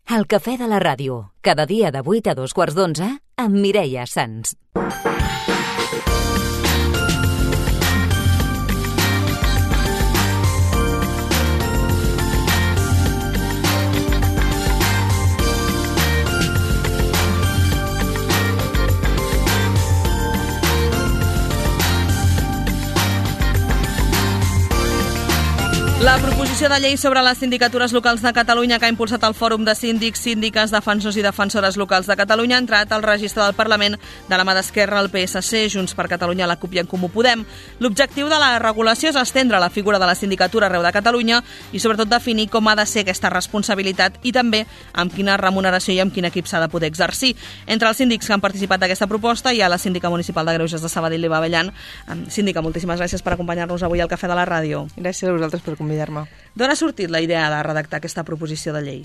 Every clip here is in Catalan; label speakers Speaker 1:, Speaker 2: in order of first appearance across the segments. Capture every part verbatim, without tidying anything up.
Speaker 1: El cafè de la ràdio, cada dia de vuit a dos quarts d'onze, amb Mireia Sans.
Speaker 2: La proposició de llei sobre les sindicatures locals de Catalunya que ha impulsat el Fòrum de Síndics, Síndiques, Defensors i Defensores Locals de Catalunya ha entrat al registre del Parlament de la mà d'Esquerra, el P S C, Junts per Catalunya, la CUP i en Comú Podem. L'objectiu de la regulació és estendre la figura de la sindicatura arreu de Catalunya i sobretot definir com ha de ser aquesta responsabilitat i també amb quina remuneració i amb quin equip s'ha de poder exercir. Entre els síndics que han participat d'aquesta proposta hi ha la síndica municipal de Greuges de Sabadell, Eva Abellan. Síndica, moltíssimes gràcies per acompanyar-nos avui al Cafè de la Ràdio.
Speaker 3: Gràcies a vosaltres per convidar-me.
Speaker 2: D'on ha sortit la idea de redactar aquesta proposició de llei?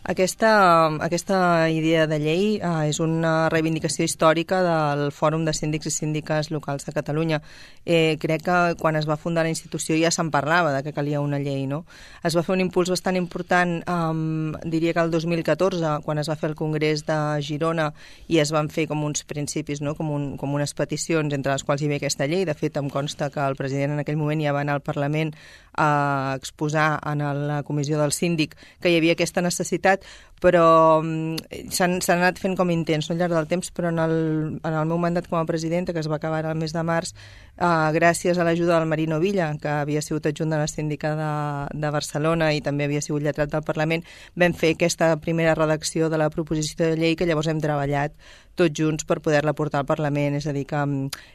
Speaker 3: Aquesta, aquesta idea de llei eh, és una reivindicació històrica del Fòrum de Síndics i Síndiques Locals de Catalunya. Eh, crec que quan es va fundar la institució ja se'n parlava de que calia una llei, no? Es va fer un impuls bastant important, eh, diria que el dos mil catorze, quan es va fer el Congrés de Girona i es van fer com uns principis, no? com, un, com unes peticions entre les quals hi ve aquesta llei. De fet, em consta que el president en aquell moment ja va anar al Parlament a exposar en la comissió del síndic que hi havia aquesta necessitat, però s'han anat fent com intents no, al llarg del temps, però en el, en el meu mandat com a presidenta, que es va acabar el mes de març, eh, gràcies a l'ajuda del Marino Villa, que havia sigut adjunt de la síndica de, de Barcelona i també havia sigut lletrat del Parlament, vam fer aquesta primera redacció de la proposició de llei que llavors hem treballat tots junts per poder-la portar al Parlament. És a dir, que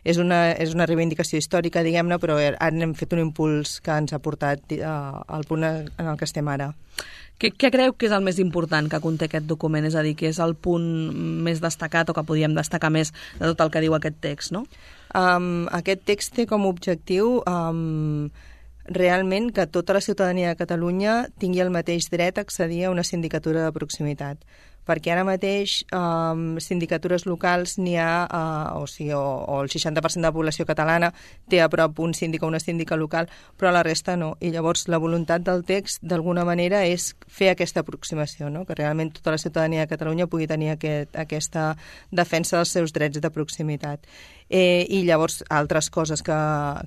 Speaker 3: és una, és una reivindicació històrica, diguem-ne, però ara hem fet un impuls que ens ha portat eh, al punt en el que estem ara.
Speaker 2: Què, què creu que és el més important que conté aquest document? És a dir, que és el punt més destacat o que podíem destacar més de tot el que diu aquest text, no?
Speaker 3: Um, aquest text té com a objectiu um, realment que tota la ciutadania de Catalunya tingui el mateix dret a accedir a una sindicatura de proximitat, perquè ara mateix eh, sindicatures locals n'hi ha, eh, o, sigui, o, o el seixanta per cent de la població catalana té a prop un síndic o una síndica local, però la resta no. I llavors la voluntat del text, d'alguna manera, és fer aquesta aproximació, no? Que realment tota la ciutadania de Catalunya pugui tenir aquest, aquesta defensa dels seus drets de proximitat. Eh, I llavors altres coses que,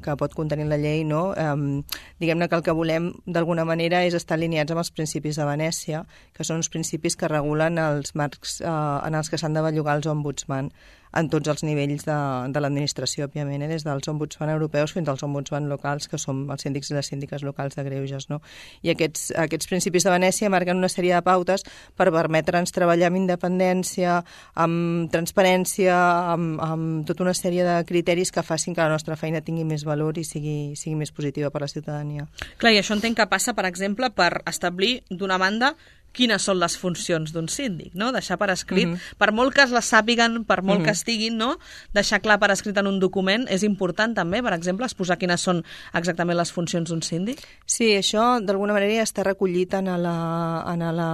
Speaker 3: que pot contenir la llei, no? Eh, diguem-ne que el que volem d'alguna manera és estar alineats amb els principis de Venècia, que són uns principis que regulen els marcs eh, en els que s'han de bellugar els ombudsman en tots els nivells de, de l'administració, òbviament, eh? Des dels ombudsman europeus fins als ombudsman locals, que som els síndics i les síndiques locals de Greuges, no? I aquests, aquests principis de Venècia marquen una sèrie de pautes per permetre'ns treballar amb independència, amb transparència, amb, amb tota una sèrie de criteris que facin que la nostra feina tingui més valor i sigui, sigui més positiva per a la ciutadania.
Speaker 2: Clar, i això entenc que passa, per exemple, per establir, d'una banda, quines són les funcions d'un síndic, no? Deixar per escrit, mm-hmm. per molt que es les sàpiguen, per molt mm-hmm. que estiguin, no? Deixar clar per escrit en un document és important també, per exemple, exposar quines són exactament les funcions d'un síndic?
Speaker 3: Sí, això d'alguna manera ja està recollit en la, en la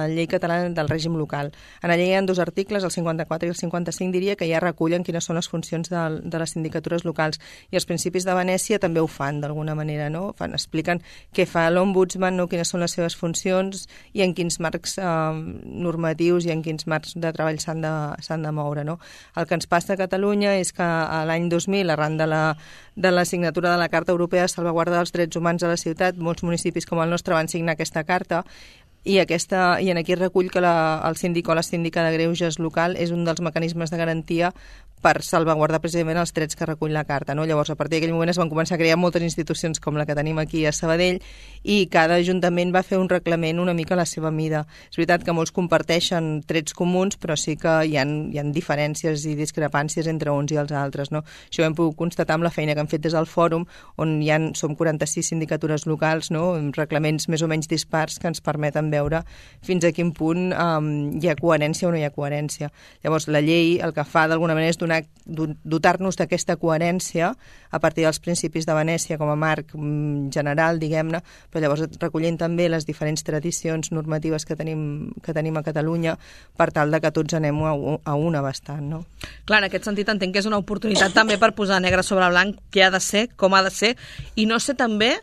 Speaker 3: llei catalana del règim local. En la llei hi ha dos articles, el cinquanta-quatre i el cinquanta-cinc, diria, que ja recullen quines són les funcions de, de les sindicatures locals, i els principis de Venècia també ho fan d'alguna manera, no? Fan, expliquen què fa l'ombudsman, no? Quines són les seves funcions i en quins marcs eh, normatius i en quins marcs de treball s'han de, s'han de moure, no? El que ens passa a Catalunya és que a l'any dos mil, arran de la, de la signatura de la Carta Europea de Salvaguarda dels Drets Humans a la ciutat, molts municipis com el nostre van signar aquesta carta, i, aquesta, i en aquí recull que la, el síndic o la síndica de Greuges local és un dels mecanismes de garantia per salvaguardar precisament els drets que recull la carta, no? Llavors, a partir d'aquell moment es van començar a crear moltes institucions com la que tenim aquí a Sabadell, i cada ajuntament va fer un reglament una mica a la seva mida. És veritat que molts comparteixen trets comuns, però sí que hi ha, hi ha diferències i discrepàncies entre uns i els altres, no? Això ho hem pogut constatar amb la feina que hem fet des del fòrum, on hi ha, som quaranta-sis sindicatures locals, no? Amb reglaments més o menys dispars que ens permeten veure fins a quin punt um, hi ha coherència o no hi ha coherència. Llavors, la llei el que fa d'alguna manera és donar dotar-nos d'aquesta coherència a partir dels principis de Venècia com a marc general, diguem-ne, però llavors recollint també les diferents tradicions normatives que tenim, que tenim a Catalunya per tal de que tots anem a, a una bastant, no?
Speaker 2: Clar, en aquest sentit entenc que és una oportunitat també per posar negre sobre blanc què ha de ser, com ha de ser, i no sé també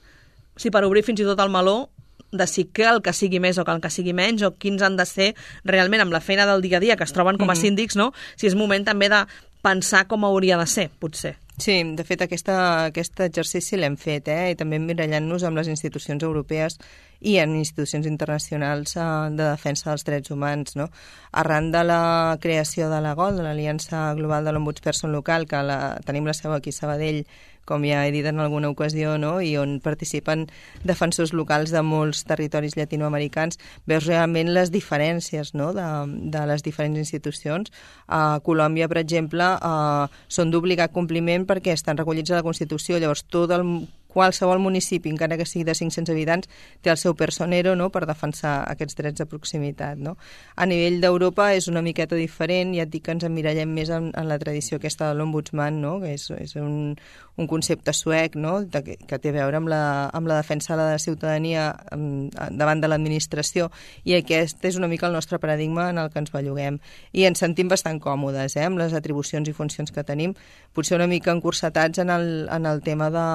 Speaker 2: si per obrir fins i tot el meló de si cal que sigui més o cal que sigui menys, o quins han de ser realment amb la feina del dia a dia que es troben com a síndics, no? Si és moment també de pensar com hauria de ser, potser.
Speaker 3: Sí, de fet, aquesta, aquest exercici l'hem fet, eh? I també emmirallant-nos amb les institucions europees i en institucions internacionals eh, de defensa dels drets humans, no? Arran de la creació de la GOL, de l'Aliança Global de l'Ombudsperson Local, que la, tenim la seu aquí a Sabadell, com ja he dit en alguna ocasió, no? I on participen defensors locals de molts territoris llatinoamericans, veus realment les diferències, no? de, de les diferents institucions. A Colòmbia, per exemple, eh, són d'obligat compliment perquè estan recollits a la Constitució, llavors tot el qualsevol municipi, encara que sigui de cinc-cents habitants, té el seu personero, no?, per defensar aquests drets de proximitat, no? A nivell d'Europa és una miqueta diferent, ja et dic que ens emmirallem més en, en la tradició aquesta de l'ombudsman, no?, que és, és un, un concepte suec, no?, de, que té a veure amb la, amb la defensa de la ciutadania amb, davant de l'administració, i aquest és una mica el nostre paradigma en el que ens belluguem. I ens sentim bastant còmodes, eh?, amb les atribucions i funcions que tenim, potser una mica encursetats en el, en el tema de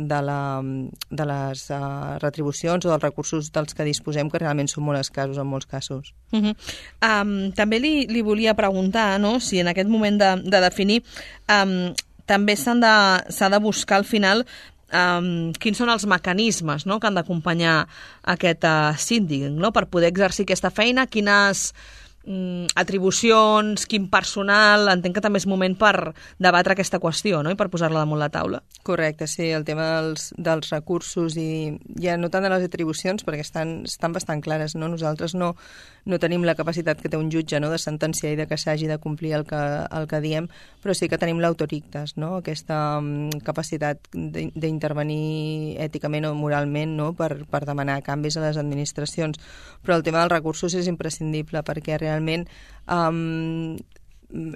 Speaker 3: de, la, de les uh, retribucions o dels recursos dels que disposem, que realment són molt escassos en molts casos.
Speaker 2: Uh -huh. um, també li, li volia preguntar, no?, si en aquest moment de, de definir um, també s'han de, s'ha de buscar al final um, quins són els mecanismes, no?, que han d'acompanyar aquest uh, síndic, no?, per poder exercir aquesta feina, quines atribucions, quin personal. Entenc que també és moment per debatre aquesta qüestió, no?, i per posar-la damunt la taula.
Speaker 3: Correcte, sí, el tema dels, dels recursos i ja no tant de les atribucions, perquè estan, estan bastant clares, no? Nosaltres no, no tenim la capacitat que té un jutge, no?, de sentenciar i de que s'hagi de complir el que, el que diem, però sí que tenim l'autorictas, no?, aquesta um, capacitat d'intervenir èticament o moralment, no?, per, per demanar canvis a les administracions. Però el tema dels recursos és imprescindible, perquè realment realment um,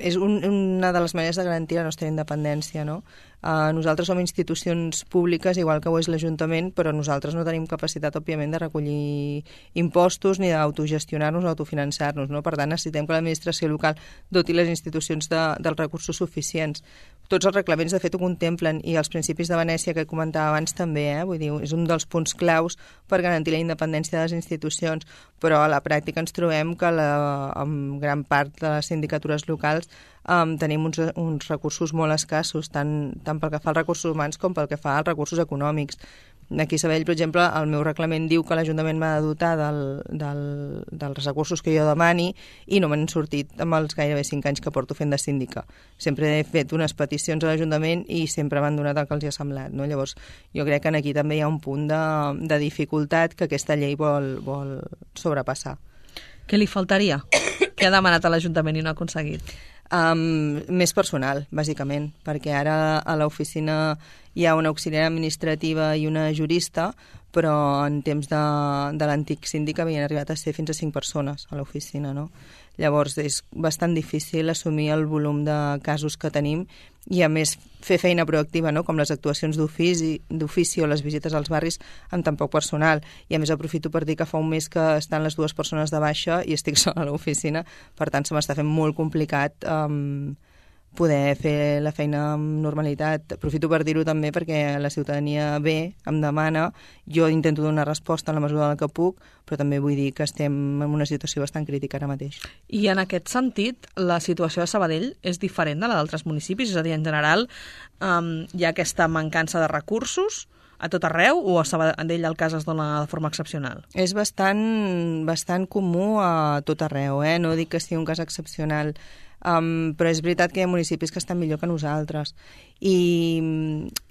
Speaker 3: és un, una de les maneres de garantir la nostra independència, no? Uh, nosaltres som institucions públiques, igual que ho és l'Ajuntament, però nosaltres no tenim capacitat, òbviament, de recollir impostos ni d'autogestionar-nos o autofinançar-nos, no? Per tant, necessitem que l'administració local doti les institucions de, dels recursos suficients. Tots els reglaments, de fet, ho contemplen, i els principis de Venècia que comentava abans també, eh? Vull dir, és un dels punts claus per garantir la independència de les institucions, però a la pràctica ens trobem que la, en gran part de les sindicatures locals Um, tenim uns, uns recursos molt escassos, tant, tant pel que fa als recursos humans com pel que fa als recursos econòmics. Aquí a Sabadell, per exemple, el meu reglament diu que l'Ajuntament m'ha de dotar del, del, dels recursos que jo demani, i no m'han sortit amb els gairebé cinc anys que porto fent de síndica. Sempre he fet unes peticions a l'Ajuntament i sempre m'han donat el que els ha semblat, no? Llavors, jo crec que aquí també hi ha un punt de, de dificultat que aquesta llei vol, vol sobrepassar.
Speaker 2: Què li faltaria? Què ha demanat a l'Ajuntament i no ha aconseguit?
Speaker 3: Um, més personal, bàsicament, perquè ara a l'oficina hi ha una auxiliar administrativa i una jurista, però en temps de, de l'antic síndic havien arribat a ser fins a cinc persones a l'oficina, no? Llavors és bastant difícil assumir el volum de casos que tenim i, a més, fer feina proactiva, no?, com les actuacions d'ofici, d'ofici o les visites als barris amb tan poc personal. I, a més, aprofito per dir que fa un mes que estan les dues persones de baixa i estic sola a l'oficina, per tant, se m'està fent molt complicat um, poder fer la feina amb normalitat. Aprofito per dir-ho també perquè la ciutadania ve, em demana, jo intento donar resposta en la mesura del que puc, però també vull dir que estem en una situació bastant crítica ara mateix.
Speaker 2: I en aquest sentit, la situació de Sabadell és diferent de la d'altres municipis? És a dir, en general, um, hi ha aquesta mancança de recursos a tot arreu, o a Sabadell el cas es dona de forma excepcional?
Speaker 3: És bastant, bastant comú a tot arreu, eh? No dic que sigui un cas excepcional, Um, però és veritat que hi ha municipis que estan millor que nosaltres, i,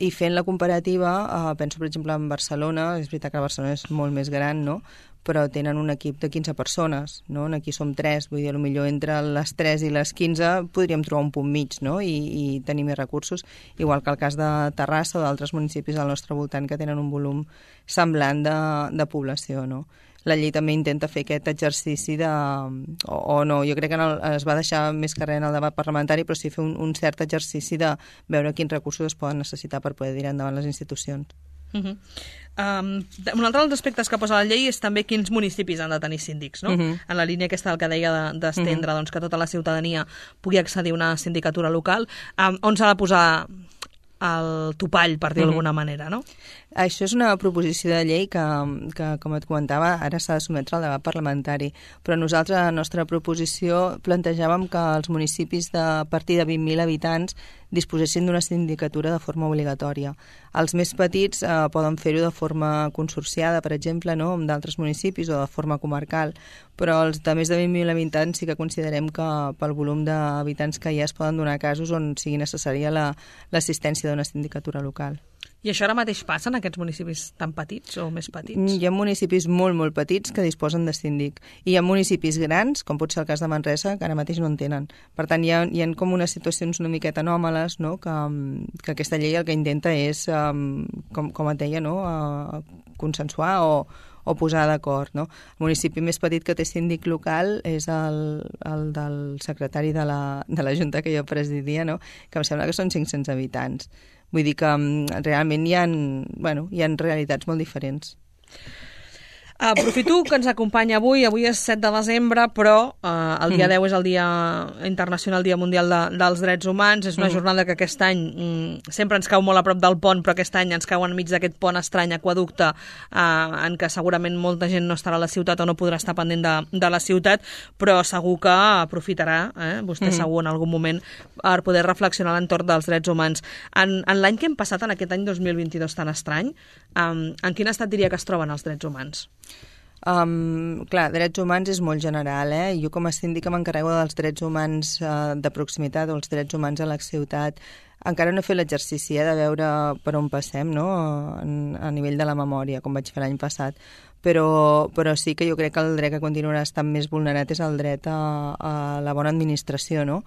Speaker 3: i fent la comparativa, uh, penso per exemple en Barcelona. És veritat que Barcelona és molt més gran, no?, però tenen un equip de quinze persones, no? Aquí som tres, vull dir, potser entre les tres i les quinze podríem trobar un punt mig, no?, i, i tenir més recursos, igual que el cas de Terrassa o d'altres municipis al nostre voltant que tenen un volum semblant de, de població, no? La llei també intenta fer aquest exercici de... O, o no, jo crec que en el, es va deixar més carrer en el debat parlamentari, però sí fer un, un cert exercici de veure quins recursos es poden necessitar per poder tirar endavant les institucions.
Speaker 2: Uh -huh. um, un altre dels aspectes que posa la llei és també quins municipis han de tenir síndics, no? Uh -huh. En la línia aquesta del que deia d'estendre, de, uh -huh. doncs, que tota la ciutadania pugui accedir a una sindicatura local. Um, on s'ha de posar el topall, per dir-ho d'alguna manera, no?
Speaker 3: Això és una proposició de llei que, que com et comentava, ara s'ha de sotmetre al debat parlamentari, però nosaltres, a la nostra proposició, plantejàvem que els municipis de a partir de vint mil habitants disposessin d'una sindicatura de forma obligatòria. Els més petits eh, poden fer-ho de forma consorciada, per exemple, no?, amb d'altres municipis o de forma comarcal, però els de més de vint mil habitants sí que considerem que pel volum d'habitants que hi ha es poden donar casos on sigui necessària la, l'assistència d'una sindicatura local.
Speaker 2: I això ara mateix passa en aquests municipis tan petits o més petits?
Speaker 3: Hi ha municipis molt, molt petits que disposen de síndic. I hi ha municipis grans, com pot ser el cas de Manresa, que ara mateix no en tenen. Per tant, hi ha, hi ha com unes situacions una miqueta anòmales, no?, que, que aquesta llei el que intenta és, um, com, com et deia, no?, uh, consensuar o, o posar d'acord, no? El municipi més petit que té síndic local és el, el del secretari de la, de la Junta que jo presidia, no?, que em sembla que són cinc-cents habitants. Vull dir que realment hi ha, bueno, hi ha realitats molt diferents.
Speaker 2: Aprofito que ens acompanya avui, avui és set de desembre, però eh, el dia mm. deu és el Dia Internacional, Dia Mundial de, dels Drets Humans. És una mm. jornada que aquest any mm, sempre ens cau molt a prop del pont, però aquest any ens cau enmig d'aquest pont estrany, aquaducte, eh, en què segurament molta gent no estarà a la ciutat o no podrà estar pendent de, de la ciutat, però segur que aprofitarà, eh, vostè mm. segur en algun moment, per poder reflexionar a l'entorn dels drets humans. En, en l'any que hem passat, en aquest any dos mil vint-i-dos tan estrany, eh, en quin estat diria que es troben els drets humans?
Speaker 3: Um, clar, drets humans és molt general, eh? Jo com a síndica m'encarrego dels drets humans uh, de proximitat o els drets humans a la ciutat. Encara no he fet l'exercici eh, de veure per on passem, no?, en, a nivell de la memòria, com vaig fer l'any passat. Però, però sí que jo crec que el dret que continuarà estant més vulnerat és el dret a, a la bona administració, no?,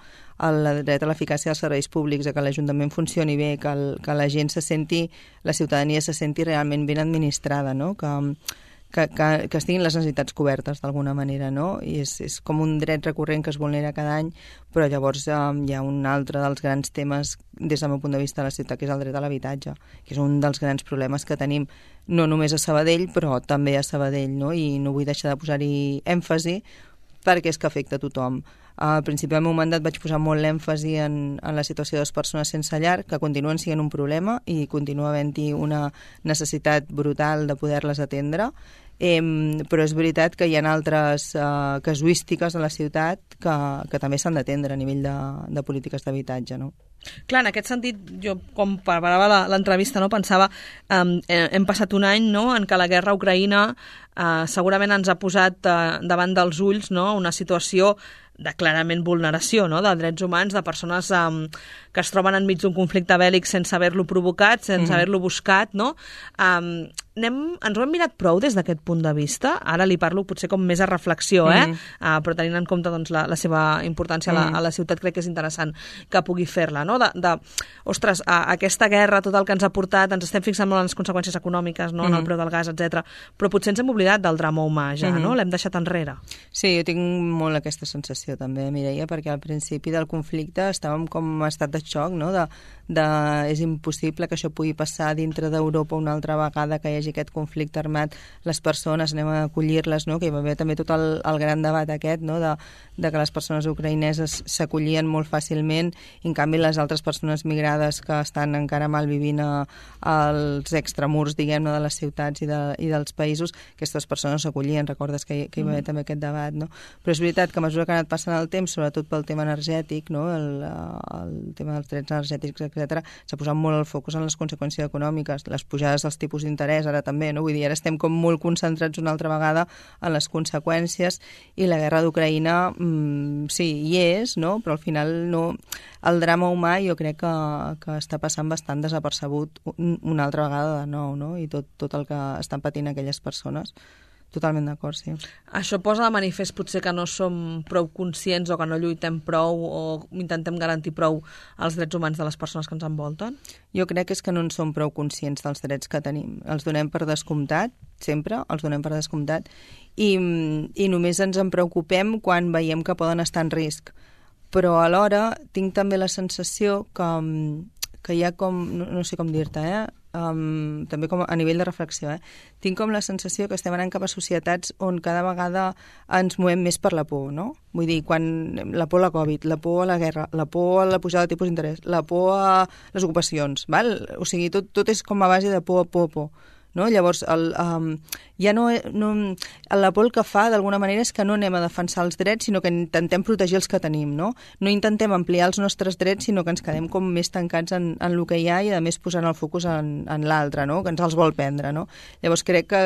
Speaker 3: el dret a l'eficàcia dels serveis públics, a que l'Ajuntament funcioni bé, que, el, que la gent se senti, la ciutadania se senti realment ben administrada, no?, que... Que, que, que estiguin les necessitats cobertes d'alguna manera, no? I és, és com un dret recurrent que es vulnera cada any, però llavors eh, hi ha un altre dels grans temes des del meu punt de vista de la ciutat, que és el dret a l'habitatge, que és un dels grans problemes que tenim no només a Sabadell, però també a Sabadell, no? I no vull deixar de posar-hi èmfasi perquè és que afecta a tothom. Al principi del meu mandat vaig posar molt l'èmfasi en, en la situació de les persones sense llar, que continuen sent un problema i continua havent-hi una necessitat brutal de poder-les atendre. Eh, però és veritat que hi ha altres eh, casuístiques a la ciutat que, que també s'han d'atendre a nivell de, de polítiques d'habitatge, no?
Speaker 2: Clar, en aquest sentit, jo com preparava l'entrevista, no, pensava eh, hem passat un any, no?, en què la guerra a Ucraïna eh, segurament ens ha posat eh, davant dels ulls, no?, una situació de clarament vulneració, no?, de drets humans, de persones um, que es troben enmig d'un conflicte bèl·lic sense haver-lo provocat, sense mm-hmm. haver-lo buscat, no? Um, anem, ens ho hem mirat prou des d'aquest punt de vista? Ara li parlo potser com més a reflexió, eh? Mm-hmm. Uh, però tenint en compte doncs, la, la seva importància mm-hmm. a, la, a la ciutat, crec que és interessant que pugui fer-la, no? De, de, ostres, a, aquesta guerra, tot el que ens ha portat, ens estem fixant molt en les conseqüències econòmiques, no?, mm-hmm. en el preu del gas, etcètera. Però potser ens hem oblidat del drama humà ja, mm-hmm. no? L'hem deixat enrere.
Speaker 3: Sí, jo tinc molt aquesta sensació també, Mireia, perquè al principi del conflicte estàvem com en estat de xoc, no?, de, de és impossible que això pugui passar dintre d'Europa una altra vegada, que hi hagi aquest conflicte armat, les persones anem a acollir-les, no?, que hi va haver també tot el, el gran debat aquest, no?, de, de que les persones ucraïneses s'acollien molt fàcilment, i en canvi les altres persones migrades que estan encara malvivint a, als extramurs, diguem-ne, de les ciutats i, de, i dels països, aquestes persones s'acollien, recordes que hi, que hi va haver mm. també aquest debat, no? Però és veritat que a mesura que ha anat passant el temps, sobretot pel tema energètic, no?, el, el tema dels drets energètics, etcètera, s'ha posat molt el focus en les conseqüències econòmiques, les pujades dels tipus d'interès ara també, no? Vull dir, ara estem com molt concentrats una altra vegada en les conseqüències, i la guerra d'Ucraïna mmm, sí, hi és, no?, però al final no, el drama humà jo crec que, que està passant bastant desapercebut una altra vegada de nou, no?, i tot, tot el que estan patint aquelles persones. Totalment d'acord, sí.
Speaker 2: Això posa de manifest potser que no som prou conscients o que no lluitem prou o intentem garantir prou els drets humans de les persones que ens envolten?
Speaker 3: Jo crec que és que no en som prou conscients dels drets que tenim. Els donem per descomptat, sempre, els donem per descomptat, i, i només ens en preocupem quan veiem que poden estar en risc. Però alhora tinc també la sensació que, que hi ha com, no, no sé com dir-te, eh? um, també com a nivell de reflexió, eh? tinc com la sensació que estem anant cap a societats on cada vegada ens movem més per la por, no? Vull dir, quan la por a la Covid, la por a la guerra, la por a la pujada de tipus d'interès, la por a les ocupacions, val? O sigui, tot, tot és com a base de por, por, por. No? Llavors, el, um, ja no, no, la por el que fa, d'alguna manera, és que no anem a defensar els drets, sinó que intentem protegir els que tenim, no? No intentem ampliar els nostres drets, sinó que ens quedem com més tancats en, en el que hi ha i, a més, posant el focus en, en l'altre, no? Que ens els vol prendre, no? Llavors, crec que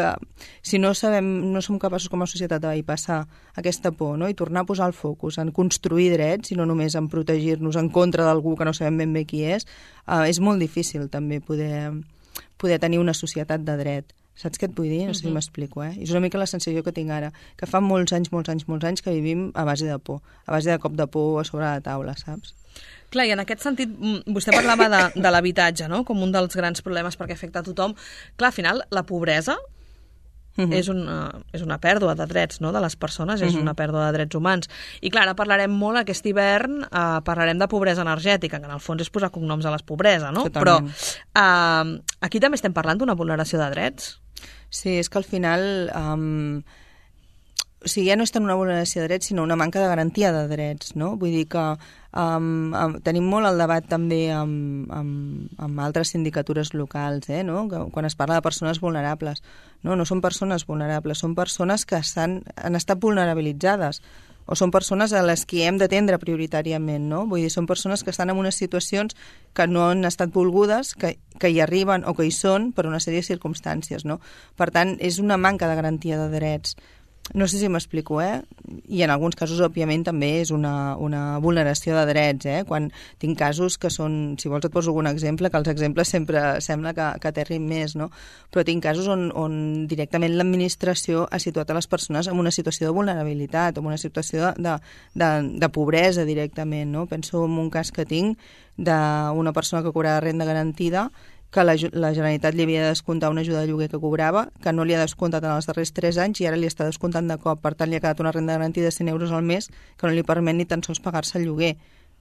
Speaker 3: si no sabem, no som capaços com a societat de passar aquesta por, no? I tornar a posar el focus en construir drets i no només en protegir-nos en contra d'algú que no sabem ben bé qui és, uh, és molt difícil també poder... poder tenir una societat de dret. Saps què et vull dir? No sé si m'explico, eh? És una mica la sensació que tinc ara, que fa molts anys, molts anys, molts anys que vivim a base de por, a base de cop de por a sobre la taula, saps?
Speaker 2: Clar, i en aquest sentit, vostè parlava de, de l'habitatge, no?, com un dels grans problemes perquè afecta a tothom. Clar, al final, la pobresa Uh-huh. és, una, és una pèrdua de drets, no?, de les persones, és uh-huh. una pèrdua de drets humans. I clar, ara parlarem molt aquest hivern, eh, parlarem de pobresa energètica, que en el fons és posar cognoms a les pobresa, no?
Speaker 3: Totalment.
Speaker 2: Però eh, aquí també estem parlant d'una vulneració de drets.
Speaker 3: Sí, és que al final... Um... O sigui, ja no és tant una vulneració de drets, sinó una manca de garantia de drets, no? Vull dir que um, um, tenim molt el debat també amb, amb, amb altres sindicatures locals, eh, no? Que, quan es parla de persones vulnerables. No, no són persones vulnerables, són persones que estan, han estat vulnerabilitzades, o són persones a les que hem d'atendre prioritàriament, no? Vull dir, són persones que estan en unes situacions que no han estat volgudes, que, que hi arriben o que hi són per una sèrie de circumstàncies, no? Per tant, és una manca de garantia de drets. No sé si m'explico, eh? I en alguns casos, òbviament, també és una, una vulneració de drets, eh? Quan tinc casos que són... Si vols et poso algun exemple, que els exemples sempre sembla que, que aterrin més, no? Però tinc casos on, on directament l'administració ha situat a les persones en una situació de vulnerabilitat, en una situació de, de, de pobresa directament, no? Penso en un cas que tinc d'una persona que cobrava renda garantida, que la, la Generalitat li havia de descomptar una ajuda de lloguer que cobrava, que no li ha descomptat en els darrers tres anys i ara li està descomptant de cop. Per tant, li ha quedat una renda garantida de cent euros al mes que no li permet ni tan sols pagar-se el lloguer.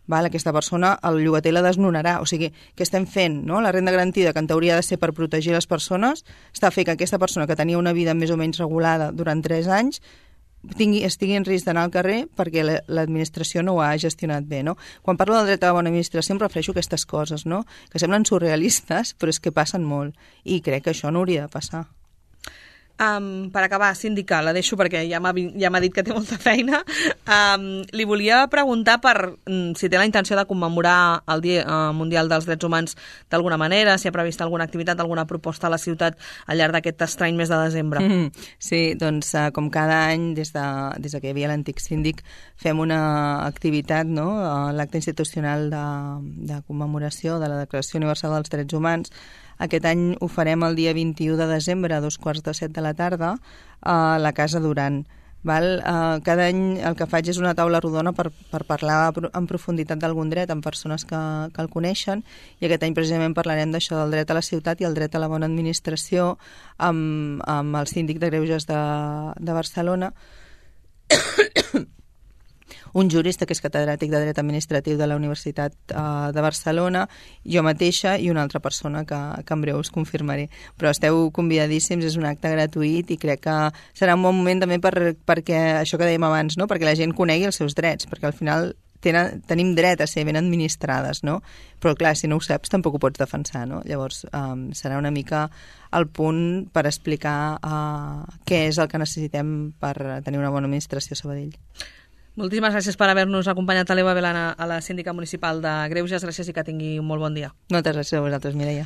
Speaker 3: Val? Aquesta persona, el llogater la desnonarà. O sigui, què estem fent? No? La renda garantida, que en teoria ha de ser per protegir les persones, està fent que aquesta persona que tenia una vida més o menys regulada durant tres anys tingui, estigui en risc d'anar al carrer perquè l'administració no ho ha gestionat bé, no? Quan parlo del dret a la bona administració em refereixo a aquestes coses, no? Que semblen surrealistes, però és que passen molt. I crec que això no hauria de passar.
Speaker 2: Um, per acabar, síndica, la deixo perquè ja m'ha ja m'ha dit que té molta feina. Um, li volia preguntar per um, si té la intenció de commemorar el Dia uh, Mundial dels Drets Humans d'alguna manera, si ha previst alguna activitat, alguna proposta a la ciutat al llarg d'aquest estrany mes de desembre.
Speaker 3: Mm, sí, doncs uh, com cada any, des de, des de que hi havia l'antic síndic, fem una activitat, no? Uh, l'acte institucional de, de commemoració de la Declaració Universal dels Drets Humans. Aquest any ho farem el dia vint-i-u de desembre a dos quarts de set de la tarda a la Casa Duran. Val? Uh, cada any el que faig és una taula rodona per, per parlar en profunditat d'algun dret amb persones que, que el coneixen, i aquest any precisament parlarem d'això, del dret a la ciutat i el dret a la bona administració amb, amb el síndic de Greuges de, de Barcelona, un jurista que és catedràtic de dret administratiu de la Universitat uh, de Barcelona, jo mateixa i una altra persona que, que en breu us confirmaré. Però esteu convidadíssims, és un acte gratuït i crec que serà un bon moment també per, perquè, això que dèiem abans, no? Perquè la gent conegui els seus drets, perquè al final tenen, tenim dret a ser ben administrades, no? Però clar, si no ho saps tampoc ho pots defensar, no? Llavors um, serà una mica el punt per explicar uh, què és el que necessitem per tenir una bona administració a Sabadell.
Speaker 2: Moltíssimes gràcies per haver-nos acompanyat a l'Eva Belana, a la síndica municipal de Greuges. Gràcies i que tingui un molt bon dia.
Speaker 3: Moltes gràcies a vosaltres, Mireia.